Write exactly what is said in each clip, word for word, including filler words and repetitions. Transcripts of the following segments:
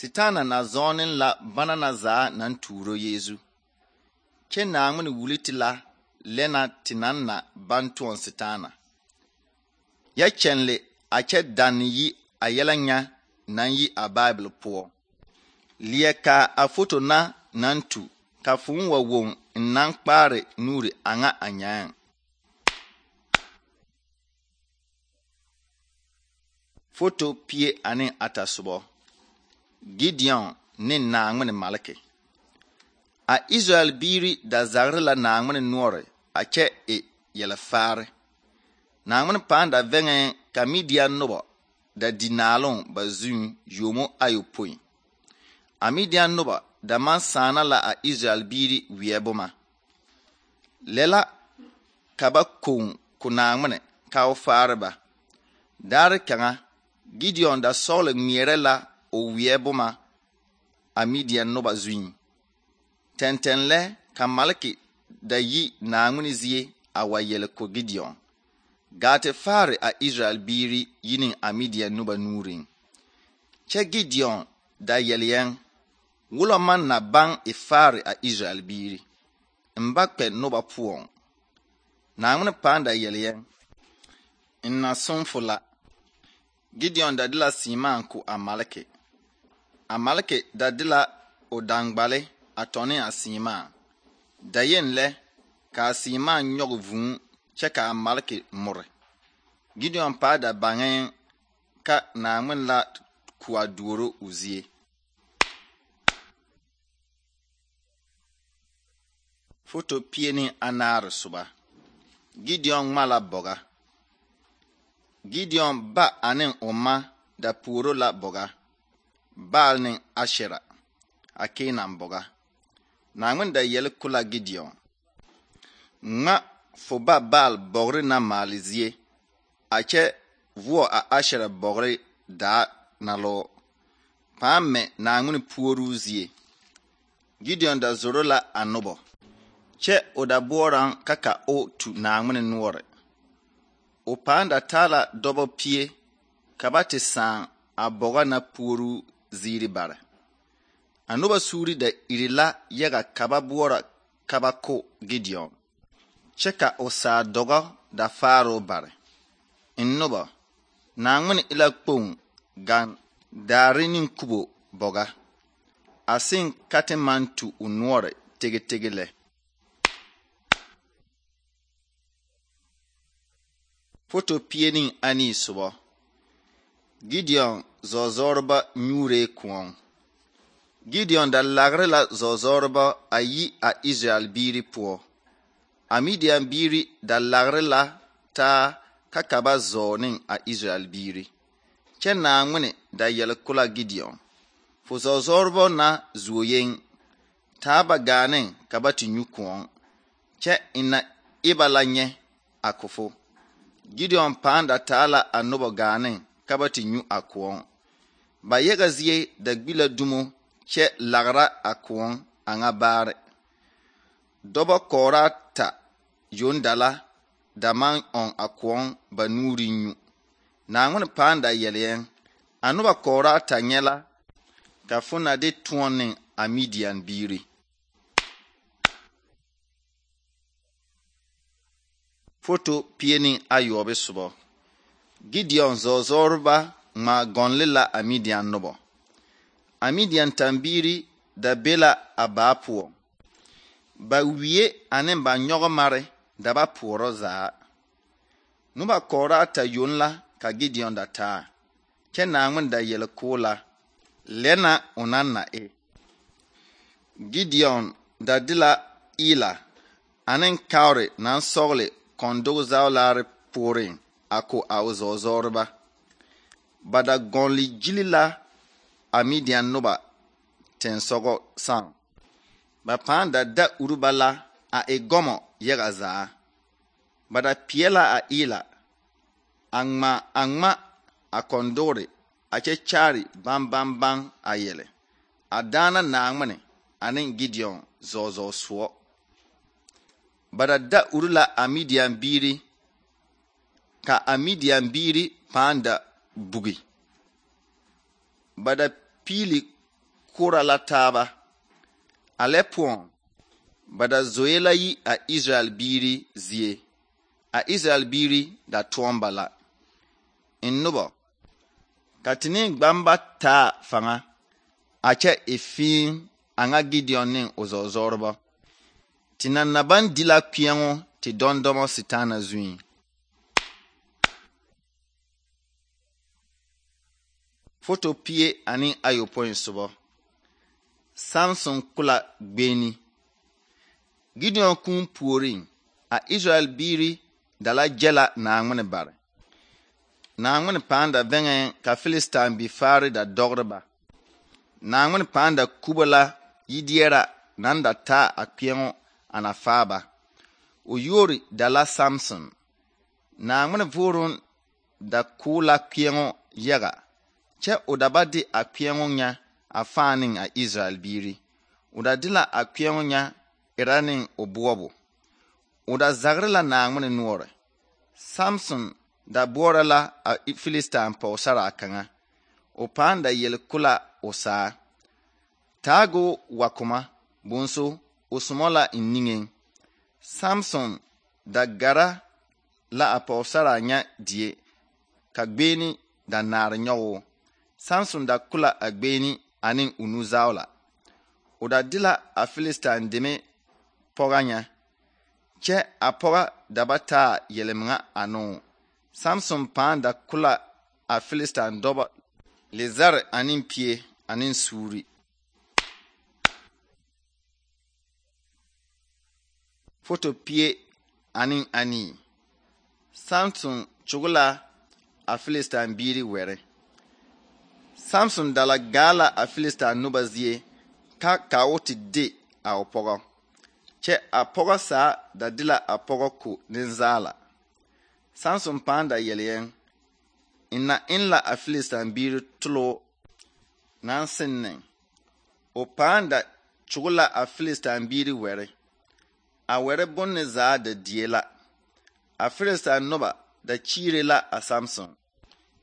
Sitana na zɔɔne la bana na zaa naŋ tuuro Yeezu. Kyɛ Naawmin wuli te la lɛ na te naŋ na baŋ tõɔ Sitana. Yɛ kyɛnle a kyɛ danne yi a yɛlɛ nya naŋ yi a Bible poɔ. Leɛ ka a foto na naŋ tu ka fooŋ wa woŋ n naŋ kpaare nuuri a ŋa a nyaaŋ. Foto pie ane ata sobɔ. Gideon ne Naawmin malke. A Israel biiri da zagre la Naawmin noɔre a kyɛ e yɛlɛfaare. Naawmin pãã da vɛŋɛ ka Midian nobɔ da di naaloŋ ba zuŋ yomo ayopõi. A Midian nobɔ da maŋ sãana la a Israel biiri weɛ boma. Lɛ la ka ba koŋ ko Naawmin ka o faare ba. Daare kaŋa Gideon da sɔgle ŋmeɛrɛ la o weɛ boma a Midian noba zuŋ. Tɛntɛn lɛ ka malke da yi Naawmin zie a wa yɛle ko Gideon. Gaa te faare a Israel biiri yi ne a Midian noba nuuriŋ. Kyɛ Gideon da yɛle yɛŋ wolo man na baŋ e faare a Israel biiri. N ba kpɛ noba poɔŋ. Naawmin pãã da yɛle yɛŋ n na sõnfo la. Gideon da de la seemaa ko a malke. A malke da de la o dangbale a tɔne a seemaa. Da yen lɛ ka a seemaa nyɔge vūū kyɛ ka a malke more. Gideon pãã da baŋɛɛŋ ka Naawmin la ko a duoro o zie. Foto pie ne anaare soba. Gideon ŋma la bɔga. Gideon ba ane o ma da puoro la bɔga. Baal ne Ashera a Keenan bɔga. Naawmin da yɛle ko la Gideon. Ŋma fo ba Baal bɔgre na maale zie a kyɛ voɔ a Ashera bɔgre daa na lɔɔ. Pãã mɛ Naawmin puoruu zie. Gideon da zoro la a nobɔ. Kyɛ o da boɔraŋ ka ka o tu Naawmin noɔre. O pãã da taa la dɔbɔ pie ka ba te sãã a bɔga na puoruu ziiri bare. A noba suuri da iri la yaga ka ba boɔra ka ba ko Gideon. Kyɛ ka o saa dɔgɔ da faaroo bare. N noba, Naawmin e la kpoŋ gaŋ daare ne kubo bɔga. A seŋ ka te maŋ tu o noɔre tege tege lɛ. Foto pie ne anii sobɔ. Gideon zɔzɔreba nyuuree kõɔŋ. Gideon da lagre la zɔzɔreba a yi a Israel biiri poɔ. A Midian biiri da lagre la taa ka ka ba zɔɔ ne a Israel biiri. Kyɛ Naawmin da yɛle ko la Gideon. Fo zɔzɔreba na zuo yeŋ taa ba gaa ne ka ba te nyu kõɔŋ. Kyɛ ina e ba la nyɛ a kofo. Gideon pãã da taa la a noba gaa ne ka ba te nyu a kõɔŋ. Ba yaga zie da gbi la dumo kyɛ lagra a kõɔŋ a ŋa baare. Dɔbɔ kɔɔraa ta yoŋ da la da maŋ ɔŋ a kõɔŋ ba nuuriŋ nyu. Naawmin pãã da yɛle yɛŋ. A noba kɔɔraa ta nyɛ la ka fo na de tõɔ ne a Midian biiri. Foto pie ne ayɔɔbe sobɔ. Gideon zɔzɔreba ŋma gɔnle la a Midian nobɔ. A Midian tambiiri da be la a baa poɔ. Ba wie ane ba nyɔgemare da ba poɔrɔ zaa. Noba kɔɔraa ta yoŋ la ka Gideon da taa. Kyɛ Naawmin da yɛle ko la lɛ na o naŋ na e. Gideon da de la Ela ane kaore naŋ sɔgle kɔndoge zaolaare pooreŋ a ko a o zɔzɔreba. Ba da gɔnle gyili la a Midian noba tensɔgɔ sãã. Ba pãã da da uru ba la a e gɔmɔ yaga zaa. Ba da peɛ la a Ela a ŋma a ŋma a kɔndogre a kyɛ kyaare baŋ baŋ baŋ a yɛlɛ. A daana Naawmin ane Gideon zɔzɔ soɔ. Ba da da uru la a Midian biiri ka a Midian biiri pãã da bugi. Ba da piili kora la taaba. A lɛ poɔŋ ba da zoe la yi a Israel biiri zie. A Israel biiri da toɔm ba la. In noba ka tini gbamba taa fanga a kyɛ e fiin a ŋa Gideon ne o zɔɔzɔreba. Tina na baŋ di la kpeɛŋo te dɔndɔmɔ Sitaana zuiŋ. Foto pie ane ayopõi sobɔ. Samson kula gbeeni. Gideon kũũ puoriŋ, a Israel biiri da la gyɛ la Naaŋmene bare. Naaŋmene pãã da vɛŋɛɛŋ ka Filistain bifaare da dɔgre ba. Naaŋmene pãã da kubo la yideɛra naŋ da taa a kpeɛŋo ana faaba. O yuori da la Samson. Naaŋmene vooruŋ da koo la kpeɛŋo yaga, kyɛ o da ba de a kpeɛŋo nya a fãã ne a Israel biiri. O da de la a kpeɛŋo nya era ne o boɔbo. O da zagre la Naaŋmene noɔre. Samson da boɔra la a Filistain pɔgesaraa kaŋa. O pãã da yele kula o saa. Taago wa koma, bonso o somɔ la in niŋeŋ. Samson da gara la a pɔgesaraa nya die, ka gbeeni da naare nyɔgoo. Samson da kula a gbeeni ane o nuzaola. O da de la a Filistain deme pɔga nya, kyɛ a pɔga da ba taa yelemeŋa anoo. Samson pãã da kula a Filistain dɔbɔ lezare ane pie ane suuri. Foto pie ane anii. Samson kyoge la a Filistain biiri wɛre. Samson da la gaa la a Filistain noba zie ka ka o te de a o pɔgɔ. Kyɛ a pɔgɔ saa da de la a pɔgɔ ko nenzaala. Samson pãã da yele yɛŋ, ina in la a Filistain biiri toloo naŋ seŋ. O pãã da kyoge la a Filistain biiri wɛre. A wɛre bonne zaa da die la. A Filistain noba da kyiire la a Samson.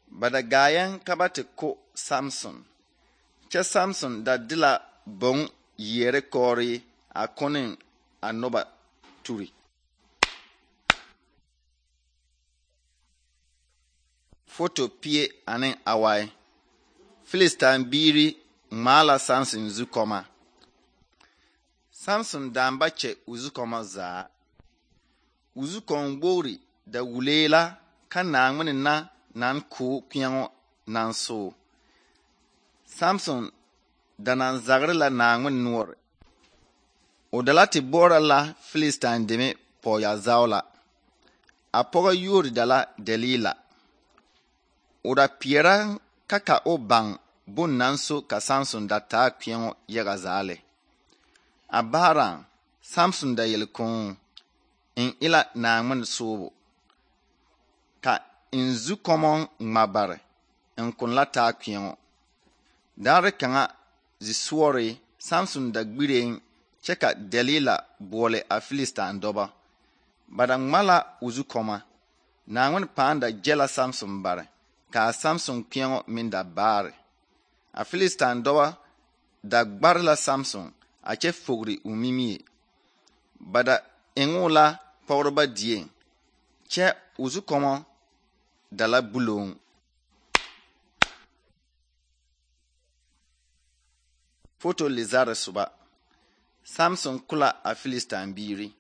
Ba da gaayɛŋ ka ba te ko Samson. Kyɛ Samson da de la boŋ yeere kɔɔre a kone a noba turi. Foto pie ane awai. Filistain biiri ŋmaa la Samson zukɔma. Samson dãã ba kyɛ o zukɔma zaa. O zukɔm wogri da wulee la ka Naaŋmene na naŋ koo kpeɛŋo naŋ soo. Samson da naŋ zagre la Naaŋmene noɔre. O da la te boɔra la Filistain deme pɔɔyazaola. A pɔgɔ yuori da la Delila. O da peɛra ka ka o baŋ bon naŋ so ka Samson da taa kpeɛŋo yaga zaa lɛ. A baaraŋ, Samson da yele kũũ, in ila Naaŋmene soobo. Ka in zukɔmɔŋ ŋma bare, in kun la taa kpeɛŋo. Daare kaŋa zisuore, Samson da gbireŋ kyɛ ka Delila boɔle a Filistain dɔbɔ. Ba da ŋma la o zukɔma. Naaŋmene pãã da gyɛ la Samson bare, ka a Samson kpeɛŋo meŋ da baare. A Filistain dɔbɔ da gbare la Samson a kyɛ fogri o mimie. Ba da eŋoo la pɔgreba dieŋ, kyɛ o zukɔmɔ da la buloŋ. Foto lezare soba. Samson kula a Filistain biiri.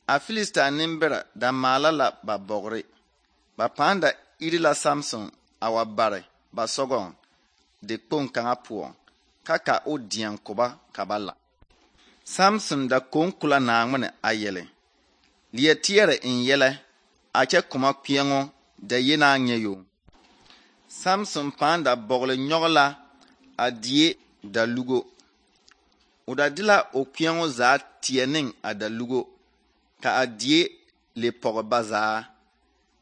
A Filistain nembɛrɛ da maala la ba bɔgre. Ba pãã da iri la Samson a wa bare ba sɔgɔŋ de kpoŋ kaŋa poɔŋ, ka ka o deɛŋ koba ka ba la. Samson da koŋ kula Naaŋmene a yele. Leɛ teɛrɛ in yɛlɛ a kyɛ koma kpeɛŋo da yenaa nyɛ yo. Samson pãã da bɔgle nyɔge la a die da lugo. O da de la o kpeɛŋo zaa teɛ neŋ a da lugo, ka a die le pɔge ba zaa.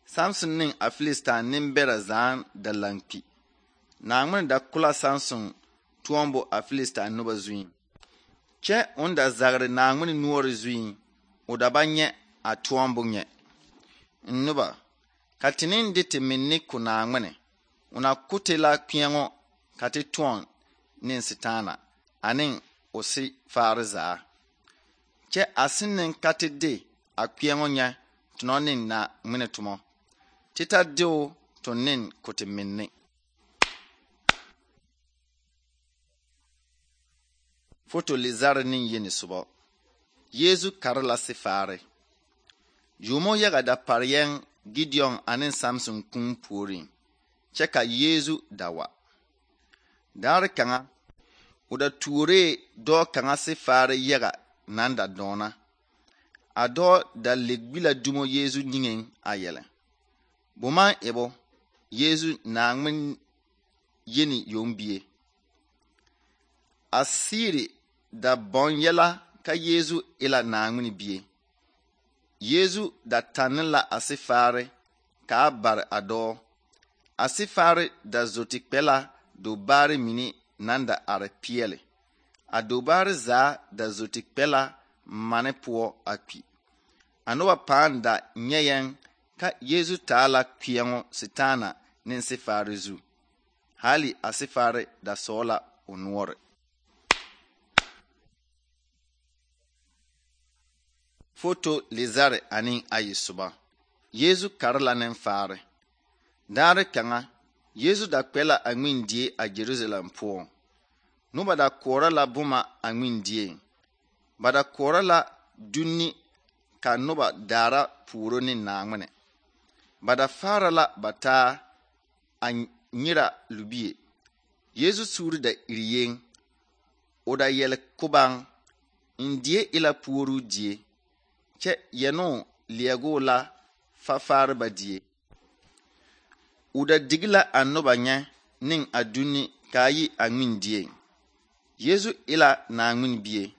Samson neŋ a Filistain nembɛrɛ zaa da lankpi. Naaŋmene da kula Samson tuombo a Filistain noba zuiŋ. Kyɛ on da zagre Naaŋmene noɔre zuiŋ, o da ba nyɛ a tuombo nyɛ. Noba, ka teneŋ de te menne ko Naaŋmene, o na ko te la kpeɛŋo ka te tõɔn ne sitaana ane o si faare zaa. Kyɛ a sẽn ne ka tɩ de a kpɛɛŋõ yẽ tɩ no ne na ŋmene tʋmɔ tɩ ta deo tɩ ne ko tɩ minne. Foto le zare ne yeni sobɔ. Yeezu kare la sifaare. Yomo yaga da par yɛŋ Gideon ane Samson kũum puoriŋ, kyɛ ka Yeezu da wa. Daare kaŋa, o da tuoree dɔɔ kaŋa sifaare yaga nan da dɔɔna. A dɔɔ da le gbi la dumo Yeezu niŋeŋ a yɛlɛ: Boman ebo, Yeezu Naŋmen yeni yombie. A siiri da bɔn yɛla ka Yeezu e la Naŋmen bie. Yeezu da tanne la a sifaare ka a bare a dɔɔ. A sifaare da zoti kpɛ la dobaare mine nan da are peɛle. A dobaare zaa da zoti kpɛ la mane poɔ a kpi. A noba pãã da nyɛ yɛŋ ka Yeezu taa la kpɛɛŋõ sitaana ne sifaare zu. Hali a sifaare da sɔɔ la o noɔre. Foto le zare ane ayi soba. Yeezu kare la nenfaare. Daare kaŋa, Yeezu da kpɛ la a ŋmendie a Jerusalem poɔ. Noba da koɔrɔ la boma a ŋmendieŋ. Ba da koɔrɔ la dunni ka noba daara puoro ne Naŋmene. Ba da faara la ba taa a nyira lubie. Yeezu suuri da iri yeŋ. O da yɛle kobaŋ: N die e la puoruu die, kyɛ yɛnoo leɛgoo la fafaare ba die. O da digi la a noba nyɛ ne a dunni kaa yi a ŋmendieŋ. Yeezu e la Naŋmen bie.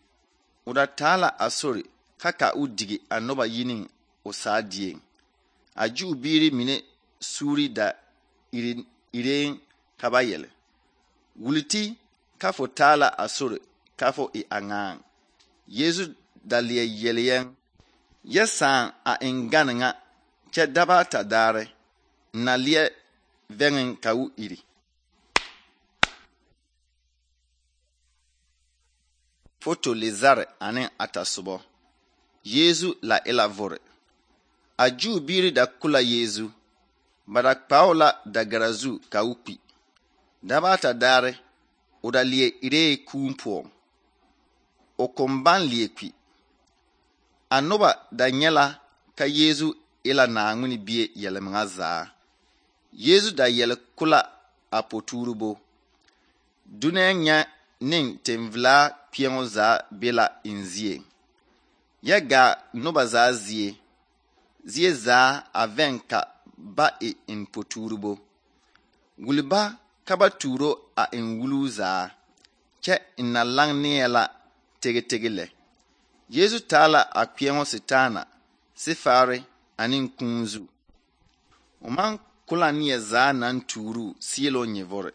O da taa la a sori ka ka o digi a noba yi ne o saa dieŋ. A Juu biiri mine suuri da iri ireŋ ka ba yɛle: Wuliti ka fo taa la a sori ka fo e a ŋaaŋ. Yeezu da leɛ yele yɛŋ: Yɛ sãã a eŋ gane ŋa, kyɛ daba ata daare, n na leɛ vɛŋeŋ ka o iri. Foto le zare ane ata sobɔ. Yeezu la e la vore. A Juu biiri da ko la Yeezu. Ba da kpao la dagara zu ka o kpi. Daba ata daare, o da leɛ iree kũum poɔŋ. O kõn baŋ leɛ kpi. A noba da nyɛ la ka Yeezu e la Naŋmen bie yɛlmeŋa zaa. Yeezu da yɛle ko la a potuuribo. Dunɛɛ nyɛ ne tenvelaa kpɛɛŋõ zaa be la en zie. Yɛ gaa noba zaa zie. Zie zaa a vɛŋ ka ba e en potuuribo. Wuli ba ka ba tuuro a en wuluu zaa, kyɛ n na laŋ neɛ la tege tege lɛ. Yeezu taa la a kpɛɛŋõ sitaana, sifaare ane kũũ zu. O maŋ ko la neɛ zaa naŋ tuuruu sieloo nyɛvore.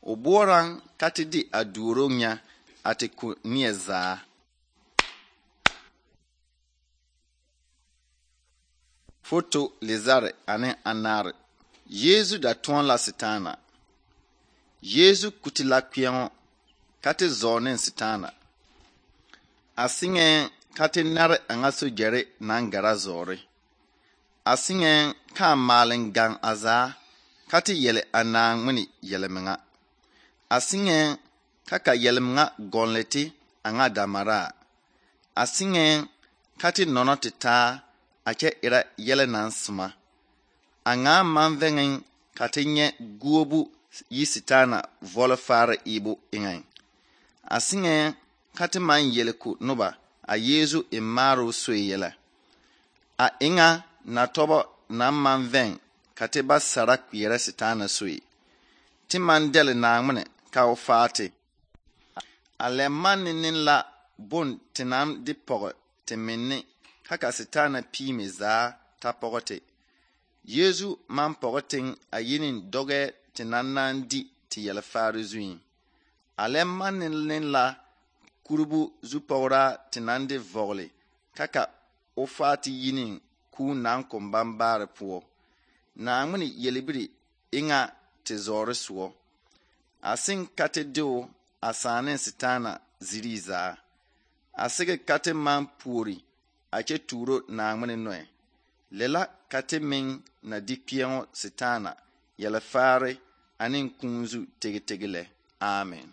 O boɔraŋ ka te de a duoro nyɛ a te ko neɛ zaa. Foto le zare ane anaare. Yeezu da tõɔ la sitaana. Yeezu kuti la kpɛɛŋõ ka te zɔɔ ne sitaana. A siŋɛɛŋ ka te nare a ŋa sogyɛre naŋ gara zɔɔre. A siŋɛɛŋ ka a maaleŋ gaŋ a zaa ka te yɛle a Naŋmen yɛlmeŋa. A siŋɛɛŋ ka ka yɛlmeŋa gɔnle te a ŋa damaraa. A siŋɛɛŋ ka te nɔnɔ te taa a kyɛ erɛ yɛlɛ naŋ soma. A ŋaa maŋ vɛŋeŋ ka te nyɛ guobu yi sitaana vɔle faare eebo eŋɛŋ. A siŋɛɛŋ ka te maŋ yele ko noba a Yeezu e maaroo soe yɛlɛ. A eŋa na tɔbɔ naŋ maŋ vɛŋ ka te ba sara kpeɛrɛ sitaana soe. Te maŋ dɛle Naŋmen ka o faa te. A lɛ manne ne la bon te naŋ de pɔge te menne ka ka sitaana piime zaa ta pɔge te. Yeezu maŋ pɔge teŋ a yi ne dɔgɛɛ te naŋ naŋ di te yɛlfaare zuiŋ. A lɛ manne ne la kurubu zupɔgraa te naŋ de vɔgele ka ka o faa te yi ne kũũ naŋ kõn baŋ baare poɔ. Naŋmen yelbiri eŋa te zɔɔre soɔ. A seŋ ka te deo a sãã ne Setaana zirii zaa. A sɩge ka tɩ maŋ puori a kyɛ tuuro Naawŋmen noɛ. Lɛ la ka tɩ meŋ na di kpɛɛŋɔ Setaana yɛlɛfaare ane kũu zu tege tege lɛ. Amen.